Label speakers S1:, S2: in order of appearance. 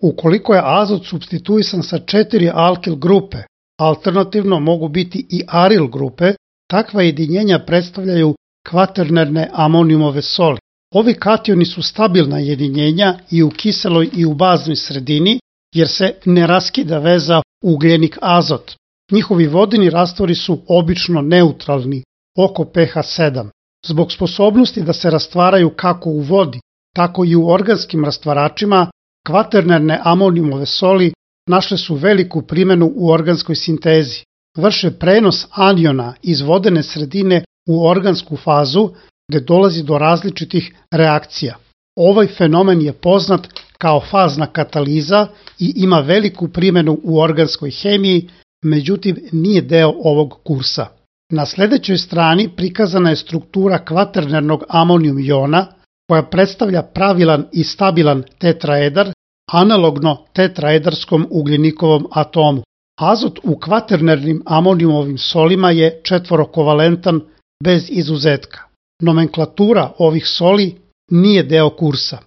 S1: Ukoliko je azot supstituisan sa 4 alkil grupe, alternativno mogu biti i aril grupe, takva jedinjenja predstavljaju kvaternerne amonijumove soli. Ovi kationi su stabilna jedinjenja i u kiseloj i u baznoj sredini, jer se ne raskida veza ugljenik-azot. Njihovi vodeni rastvori su obično neutralni, oko pH 7. Zbog sposobnosti da se rastvaraju kako u vodi, tako i u organskim rastvaračima, kvaternerne amonijumove soli našle su veliku primenu u organskoj sintezi. Vrše prenos aniona iz vodene sredine u organsku fazu, gde dolazi do različitih reakcija. Ovaj fenomen je poznat kao fazna kataliza i ima veliku primenu u organskoj hemiji, međutim nije deo ovog kursa. Na sledećoj strani prikazana je struktura kvaternernog amonijum jona, koja predstavlja pravilan i stabilan tetraedar, analogno tetraedarskom ugljenikovom atomu. Azot u kvaternernim amonijumovim solima je četvorokovalentan bez izuzetka. Nomenklatura ovih soli nije deo kursa.